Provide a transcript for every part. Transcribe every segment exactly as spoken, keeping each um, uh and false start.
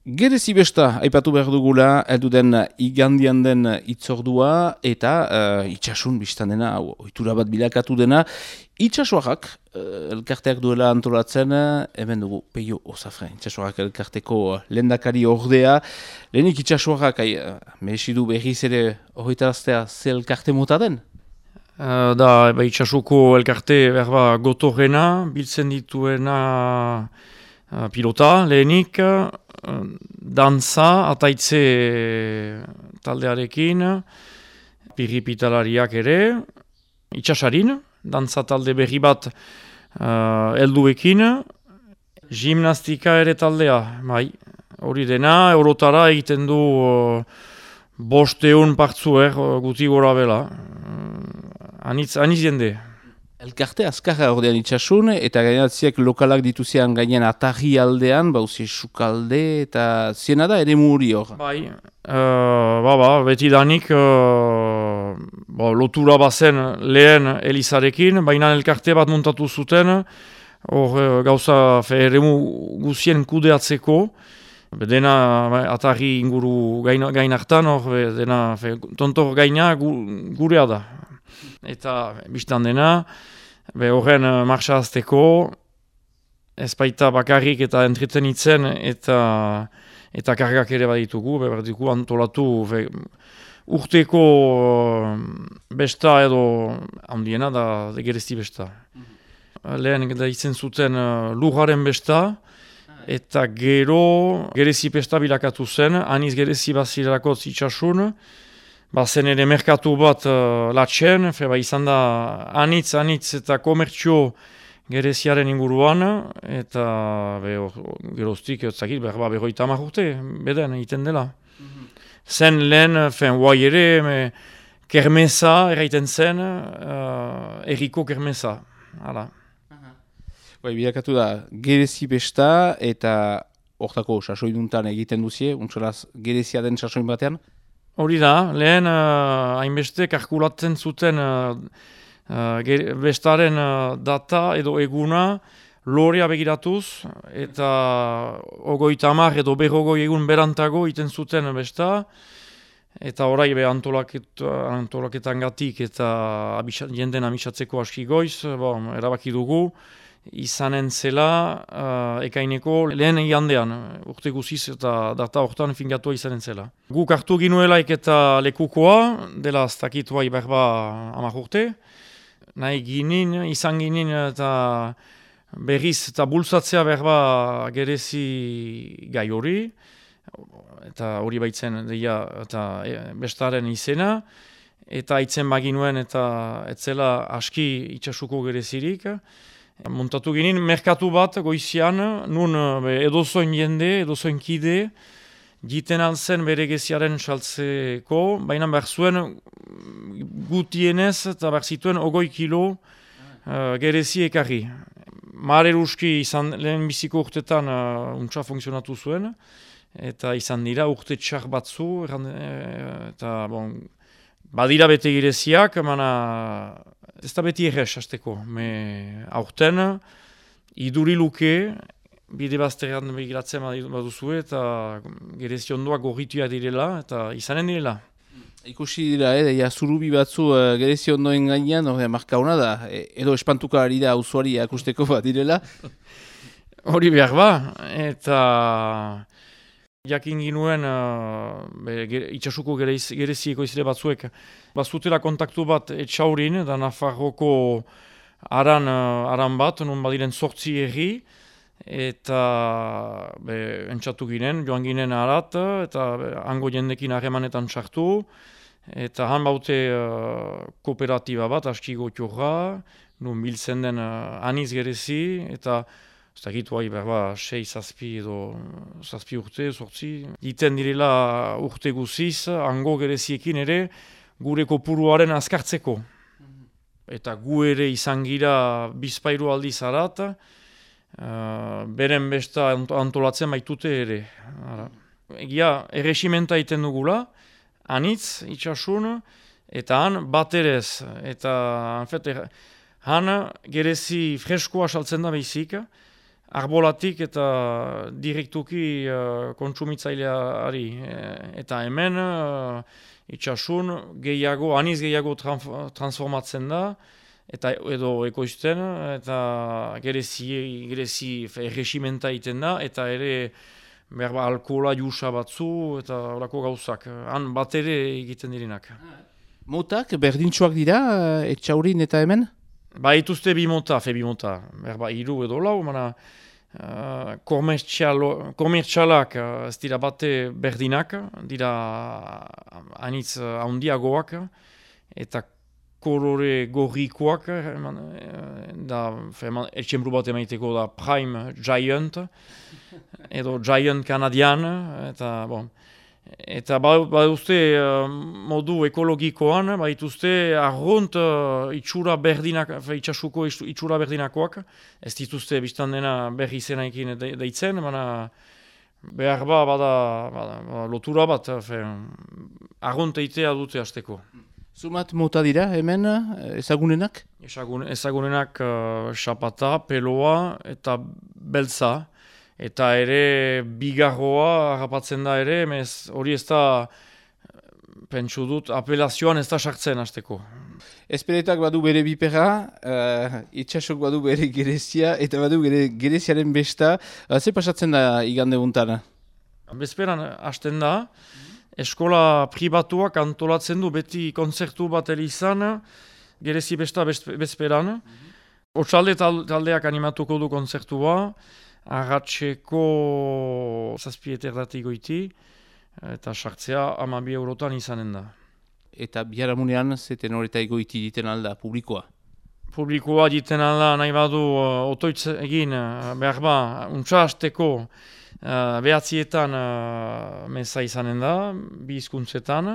Gerezi besta, aipatu behar dugula, heldu den igandian den itzordua, eta uh, itxasun biztan dena, ohitura bat bilakatu dena, itxasuarrak, uh, elkarteak duela antolatzen, hemen dugu, Peio Osafren, itxasuarrak elkarteko lehendakari ordea, lehenik itxasuarrak, uh, mehesidu berriz ere horretaraztea ze elkarte mota den? Uh, da, eba, itxasuko elkarte berba gotorrena, biltzen dituena uh, pilota, lehenik, dantza, ataitze taldearekin, piripitalariak ere, itxasarin, dantza talde berri bat uh, elduekin, gimnastika ere taldea, bai, hori dena, eurotara egiten du uh, bosteun partzuer, uh, guti gora bela, uh, anitz, anitz jende. Elkarte azkarra ordean itxasun, eta gainatziak lokalak dituzian gainen atarri aldean, bauzi sukalde, eta ziena da ere muri hor. Bai, uh, ba, ba, beti danik uh, ba, lotura bazen lehen Elizarekin, baina elkarte bat montatu zuten, hor uh, gauza fe, eremu guzien kudeatzeko, dena ba, atarri inguru gain, gain hartan, hor dena fe, tontor gaina gu, gurea da. Eta biztan dena, be horren uh, marxa azteko, ez baita bakarrik eta entretenitzen eta eta kargak ere baditugu, be baditugu antolatu be, urteko uh, besta edo handiena da gerezi besta. Mm-hmm. Lehen da izen zuten uh, lujaren besta, eta gero gerezi besta bilakatu zen, aniz gerezi bazirako itxasun, bazen ere merkatu bat uh, latxen, ba, izan da anitz, anitz eta komertzio gereziaren inguruan, eta be, geroztik, etzakit, berba, berroita hamar urte, beden, egiten dela. Mm-hmm. Zen lehen, fen, guai ere, me, kermesa, eraiten zen, uh, erriko kermesa, hala. Uh-huh. Bai, bilakatu da, gerezi besta, eta hortako sasoiduntan egiten duzie, untsolaz gerezia den sasoin batean? Hori da, lehen uh, hainbeste kalkulatzen zuten uh, uh, bestaren uh, data edo eguna lorea begiratuz, eta ogoita hamar edo berrogoi egun berantago iten zuten besta, eta orai be antolaket, antolaketan gatik eta abixat, jenden amisatzeko aski goiz, bon, erabaki dugu, izanen zela uh, ekaineko lehen igandean, urte guziz eta data hortan fingatua izanen zela. Guk hartu ginuelaik eta lekukoa, dela ez dakit bai berba hamar urte, nahi ginin, izan ginin eta berriz eta bultzatzea berba gerezi gai hori, eta hori baitzen deia eta e, bestaren izena, eta aitzen baginuen eta etzela aski itxasuko gerezirik, montatu ginen, merkatu bat goizian, nun edozoin jende, edozoin kide, jiten altzen bere geziaren saltzeko, baina behar zuen gutienez eta behar zituen ogoi kilo uh, gerezi ekarri. Mare ruski izan lehen biziko urtetan uh, untsa funtzionatu zuen, eta izan dira urte txar batzu, erran, eta bon, badira bete gereziak, mana ez da beti errez hasteko. Me aurten, iduri luke, bide bazterrean begiratzen baduzue, eta gerezi ondoak gorrituak direla, eta izanen direla. Ikusi dira, eh, ja, zurubi batzu uh, gerezi ondoen gainean, no, marka hona da, edo espantuka ari da usuari akusteko bat direla. Hori behar ba, eta jakin ginuen uh, itxasuko gerezieko izile batzuek. Bazutela kontaktu bat etxaurin, da Nafarroko aran, uh, aran bat, non badiren sortzi erri, eta be, entzatu ginen, joan ginen arat, eta be, hango jendekin harremanetan txartu, eta han baute uh, kooperatiba bat, aski gotiorra, non biltzen den uh, aniz gerezi, eta ez dakit bai, berba, sei, zazpi edo zazpi urte, sortzi. Iten direla urte guziz, hango gereziekin ere, gure kopuruaren azkartzeko. Eta gu ere izan gira bizpairu aldiz arat, uh, beren besta antolatzen baitute ere. Egia, erresimenta iten dugula, anitz, itxasun, eta han baterez, eta en fet, han gerezi freskoa saltzen da behizik, arbolatik eta direktuki uh, kontsumitzaileari. Eta hemen uh, itxasun gehiago, aniz gehiago transformatzen da, eta edo ekoizten, eta gerezi, gerezi erresimenta egiten da, eta ere berba alkohola jusa batzu, eta horako gauzak. Han bat ere egiten direnak. Motak berdintxoak dira, etxaurin eta hemen? Ba, ituzte bi mota, fe bi mota. Berba, iru edo lau, mana uh, komertxalak uh, ez dira bate berdinak, dira anitz uh, handiagoak, eta kolore gorrikoak, da, etxemplu bat emaiteko da Prime Giant, edo Giant Canadian, eta, bon, eta ba, ba uste uh, modu ekologikoan, ba ituzte arrunt uh, itxura berdinak, itxasuko itxura berdinakoak, ez dituzte biztan dena berri izenaikin deitzen, baina behar ba, bada, bada, bada lotura bat, arrunt eitea dute hasteko. Zumat mota dira hemen ezagunenak? Ezagun, ezagunenak uh, xapata, peloa eta beltza. Eta ere bigarroa harrapatzen da ere, emez hori ez da, pentsu dut, apelazioan ez da sartzen hasteko. Esperetak badu bere bipera, uh, itxasok badu bere gerezia, eta badu bere gereziaren besta. Uh, ze pasatzen da igande untan? Bezperan hasten da. Eskola pribatuak antolatzen du beti konzertu bat elizan, gerezi besta bezperan. Mm-hmm. Otsalde taldeak animatuko du konzertua, arratseko zazpieterdatik goiti, eta sartzea hamabi eurotan izanen da. Eta biharamunean zeten horreta egoiti diten alda publikoa? Publikoa diten alda nahi badu uh, otoitz egin, uh, behar ba, untsa hasteko, Uh, behatzietan uh, meza izanen da, bi hizkuntzetan,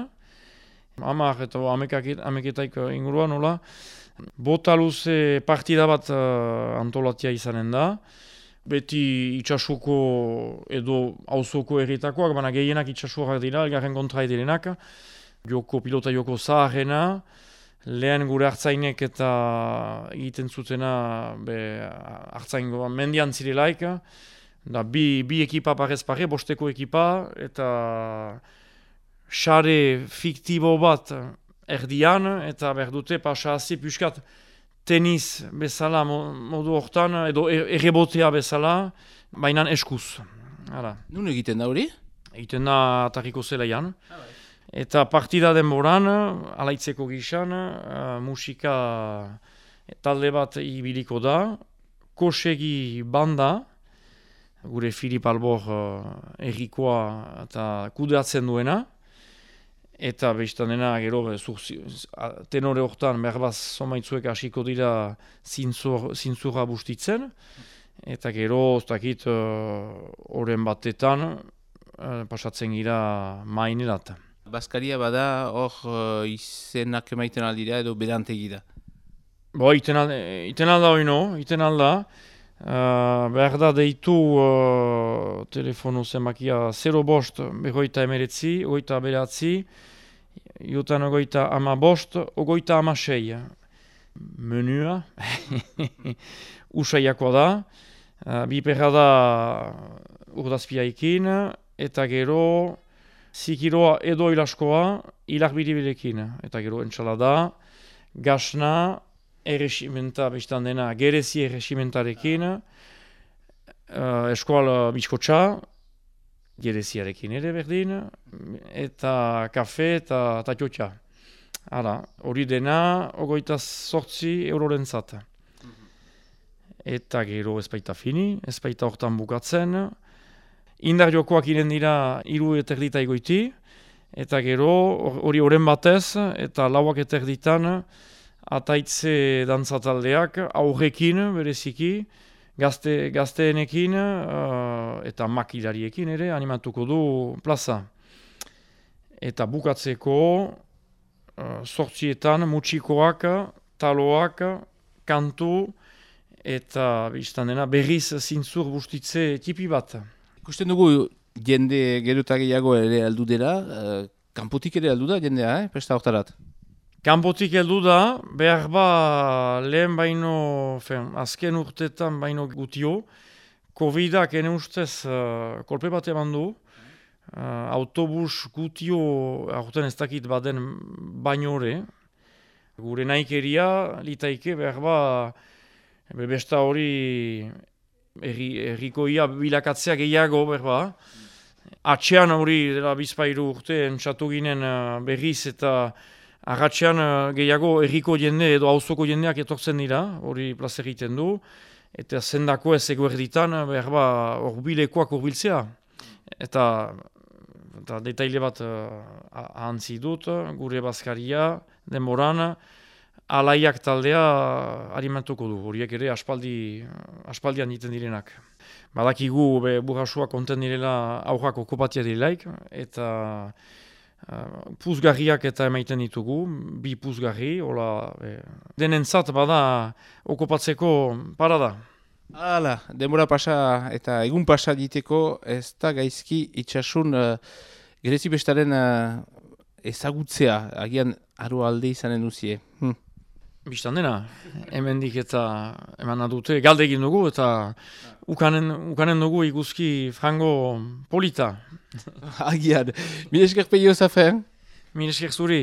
hamar eta hameketaik inguruan, nola. Bota luze partida bat uh, antolatia izanen da, beti itxasuko edo auzoko erritakoak, baina gehienak itxasuak dira, elgarren kontra edilenak, joko, pilota joko zaharrena, lehen gure hartzainek eta egiten zutena be, hartzaingo mendian zirelaik, da bi, bi ekipa parez pare, bosteko ekipa, eta xare fiktibo bat erdian, eta behar dute pasa hazi piskat tenis bezala modu hortan, edo errebotea bezala, baina eskuz. Hala. Nun egiten da hori? Egiten da atariko zelaian. Eta partida denboran, alaitzeko gizan, uh, musika talde bat ibiliko da, kosegi banda, gure Filip Albor uh, errikoa eta kudeatzen duena, eta bestan dena gero zurzi, tenore hortan berbaz somaitzuek hasiko dira zintzur, zintzura bustitzen, eta gero oztakit horren uh, batetan uh, pasatzen gira mainerat. Baskaria bada hor uh, izenak emaiten aldira edo bedantegi da? Bo, iten alda, iten alda oino, iten alda. Uh, behar da deitu uh, telefonu zemakia zero bost begoita emeretzi, ogoita beratzi, jutan ogoita ama bost, ogoita ama sei. Menua, usaiakoa da, uh, biperra da urdazpiaikin, eta gero zikiroa edo ilaskoa ilar biribilekin, eta gero entxalada, gasna, erresimenta bestan dena gerezi erresimentarekin, uh, eskoal biskotxa, gereziarekin ere berdin, eta kafe eta tatxotxa. Hala, hori dena, ogoita sortzi eurorentzat. Eta gero ez baita fini, ez baita hortan bukatzen. Indar jokoak iren dira hiru eterdita egoiti, eta gero hori oren batez, eta lauak eterditan, ataitze dantzataldeak aurrekin bereziki, gazte, gazteenekin uh, eta makilariekin ere animatuko du plaza. Eta bukatzeko uh, sortzietan mutxikoak, taloak, kantu eta biztan dena berriz zintzur bustitze tipi bat. Ikusten dugu jende geruta gehiago ere aldu dela, uh, kanpotik ere aldu da jendea, eh? Presta hortarat? Kanpotik heldu da, behar ba lehen baino, fen, azken urtetan baino gutio, Covidak ene ustez uh, kolpe bat eman du. Uh, autobus gutio aurten ez dakit baden baino hori. Gure naikeria litaike behar ba besta hori erri, errikoia bilakatzea gehiago behar ba. Atxean hori dela bizpairu urte entzatu ginen uh, berriz eta agatxean uh, gehiago erriko jende edo auzoko jendeak etortzen dira, hori plaza egiten du. Eta zendako ez eguerditan, behar ba, orbilekoak urbiltzea. Eta, eta detaile bat uh, ahantzi dut, gure bazkaria, denboran, alaiak taldea alimentuko du. Horiek ere aspaldi, aspaldian egiten direnak. Badakigu be, burrasua konten direla aurrak okupatia dilaik, eta uh, puzgarriak eta emaiten ditugu, bi puzgarri, hola, be, denentzat bada okupatzeko parada. Hala, denbora pasa eta egun pasa diteko ez da gaizki itxasun uh, gerezi bestaren uh, ezagutzea, agian aro alde izanen duzie. Hm. Bistan dena, hemendik eta eman dute galde egin dugu eta ukanen, ukanen dugu ikuski frango polita. Agian, mire esker peio zafen? Mire esker zuri.